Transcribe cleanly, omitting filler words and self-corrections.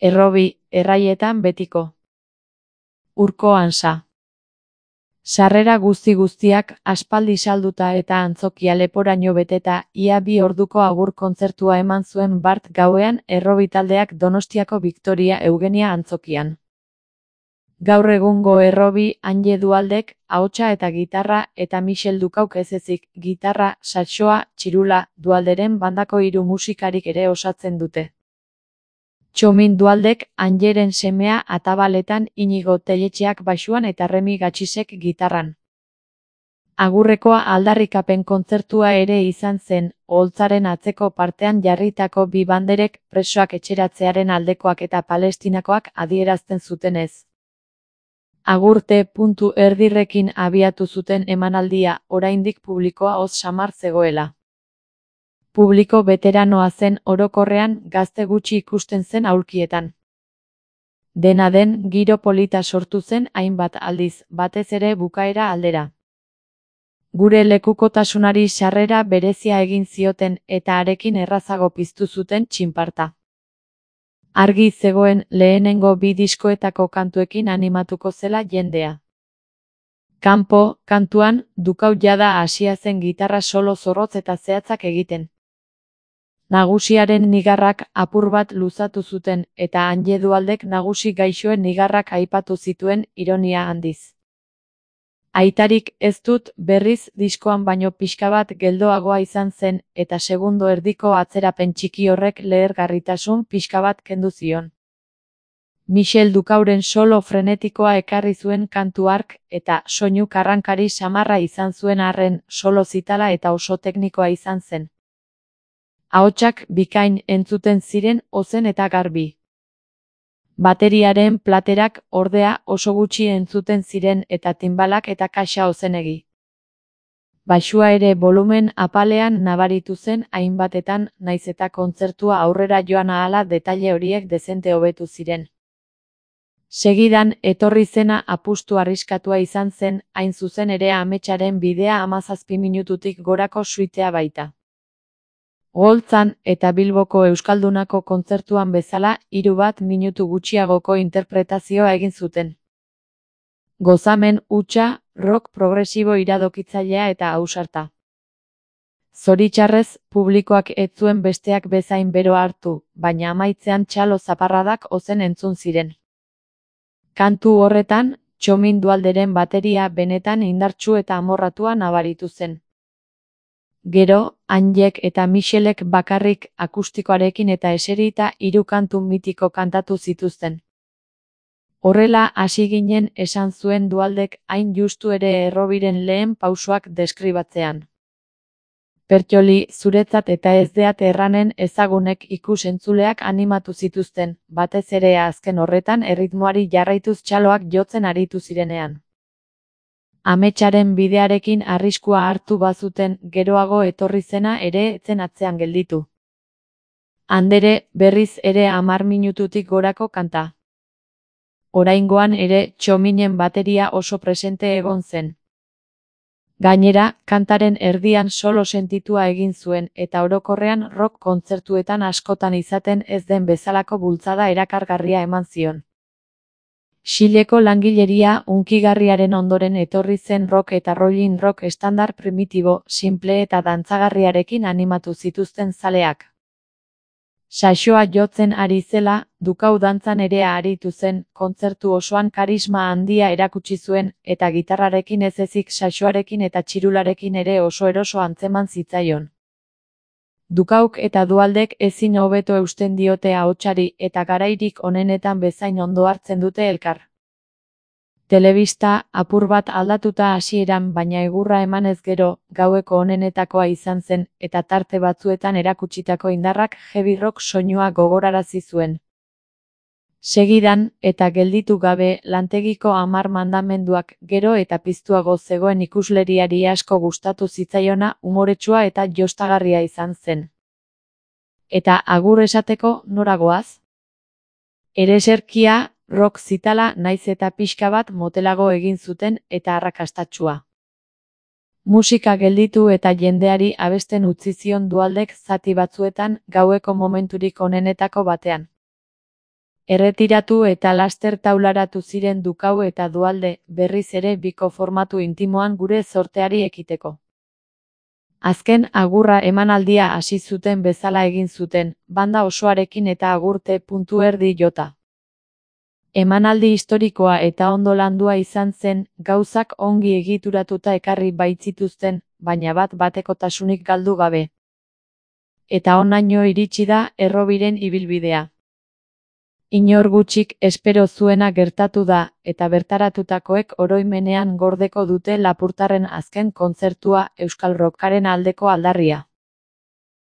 Errobi, erraietan betiko. Urko Ansa. Sarrera guztiak aspaldi salduta eta antzokia leporaino beteta, ia 2 orduko agur kontzertua eman zuen bart gauean Errobi taldeak Donostiako Victoria Eugenia antzokian. Gaur egungo Errobi Anje Dualdek, ahotsa eta gitarra, eta Michel Dukauk ez ezik, gitarra, saxoa, txirula, Dualderen bandako 3 musikarik ere osatzen dute. Txomin Dualdek, Anjeren semea atabaletan, Inigo Telletxeak baxuan eta Remi Gatxisek gitarran. Agurrekoa aldarrikapen kontzertua ere izan zen, oholtzaren atzeko partean jarritako 2 banderek presoak etxeratzearen aldekoak eta palestinakoak adierazten zutenez. Agurte.erdirrekin abiatu zuten emanaldia, oraindik publikoa oz samar zegoela. Publiko beteranoa zen orokorrean, gazte gutxi ikusten zen aulkietan. Dena den, giro polita sortu zen hainbat aldiz, batez ere bukaera aldera. Gure lekukotasunari sarrera berezia egin zioten eta harekin errazago piztu zuten txinparta. Argi zegoen lehenengo 2 diskoetako kantuekin animatuko zela jendea. Kanpo, kantuan, Dukau jada hasia zen gitarra solo zorrotz eta zehatzak egiten. Nagusiaren nigarrak apur bat luzatu zuten, eta Anje Dualdek nagusi gaixoen nigarrak aipatu zituen ironia handiz. Aitarik ez dut, berriz, diskoan baino pixka bat geldoagoa izan zen, eta segundo erdiko atzerapen txiki horrek lehergarritasun pixka bat kendu zion. Michel Dukauren solo frenetikoa ekarri zuen kantu hark, eta soinu karrankari samarra izan zuen arren, solo zitala eta oso teknikoa izan zen. Ahotsak bikain entzuten ziren ozen eta garbi. Bateriaren platerak, ordea, oso gutxi entzuten ziren eta tinbalak eta kaxa ozenegi. Baxua ere volumen apalean nabaritu zen hainbatetan, naiz eta kontzertua aurrera joan ahala detaile horiek dezente hobetu ziren. Segidan, etorri zena apustu arriskatua izan zen, hain zuzen ere ametsaren bidea 17 minututik gorako suitea baita. Oholtzan eta Bilboko Euskaldunako kontzertuan bezala, 3 minutu gutxiagoko interpretazioa egin zuten. Gozamen hutsa, rock progresibo iradokitzailea eta ausarta. Zoritxarrez, publikoak ez zuen besteak bezain bero hartu, baina amaitzean txalo zaparradak ozen entzun ziren. Kantu horretan, Txomin Dualderen bateria benetan indartsu eta amorratua nabaritu zen. Gero, Anjek eta Michelek bakarrik akustikoarekin eta eserita 3 kantu mitiko kantatu zituzten. Horrela hasi ginen esan zuen Dualdek hain justu ere Errobiren lehen pausoak deskribatzean. Pertxoli, zuretzat eta ez deat erranen ezagunek ikus-entzuleak animatu zituzten, batez ere azken horretan erritmoari jarraituz txaloak jotzen aritu zirenean. Ametsaren bidearekin arriskua hartu bazuten, geroago etorri zena ere etzen atzean gelditu. Andere, berriz ere 10 minututik gorako kanta. Oraingoan ere, Txominen bateria oso presente egon zen. Gainera, kantaren erdian solo sentitua egin zuen, eta orokorrean rock kontzertuetan askotan izaten ez den bezalako bultzada erakargarria eman zion. Xileko langileria hunkigarriaren ondoren etorri zen rock eta rollin rock estandar primitibo, simple eta dantzagarriarekin animatu zituzten zaleak. Saxoa jotzen ari zela, Dukau dantzan ere aritu zen, kontzertu osoan karisma handia erakutsi zuen, eta gitarrarekin ez ezik saxoarekin eta txirularekin ere oso eroso antzeman zitzaion. Dukauk eta Dualdek ezin hobeto eusten diote ahotsari eta garairik onenetan bezain ondo hartzen dute elkar. Telebista, apur bat aldatuta hasieran baina egurra emanez gero, gaueko onenetakoa izan zen, eta tarte batzuetan erakutsitako indarrak heavy rock soinua gogorarazi zuen. Segidan, eta gelditu gabe, lantegiko 10 mandamenduak, gero eta piztuago zegoen ikusleriari asko gustatu zitzaiona, umoretsua eta jostagarria izan zen. Eta agur esateko nora goaz? Ereserkia, rock zitala naiz eta pixka bat motelago egin zuten eta arrakastatsua. Musika gelditu eta jendeari abesten utzi zion Dualdek zati batzuetan, gaueko momenturik onenetako batean. Erretiratu eta laster taularatu ziren Dukau eta Duhalde, berriz ere biko formatu intimoan gure zorteari ekiteko. Azken agurra emanaldia hasi zuten bezala egin zuten, banda osoarekin eta agurte puntu erdi jota. Emanaldi historikoa eta ondo landua izan zen, gauzak ongi egituratuta ekarri baitzituzten, baina bat-batekotasunik galdu gabe. Eta honaino iritsi da Errobiren ibilbidea. Inor gutxik espero zuena gertatu da, eta bertaratutakoek oroimenean gordeko dute Lapurtarren azken kontzertua, euskal rockaren aldeko aldarria.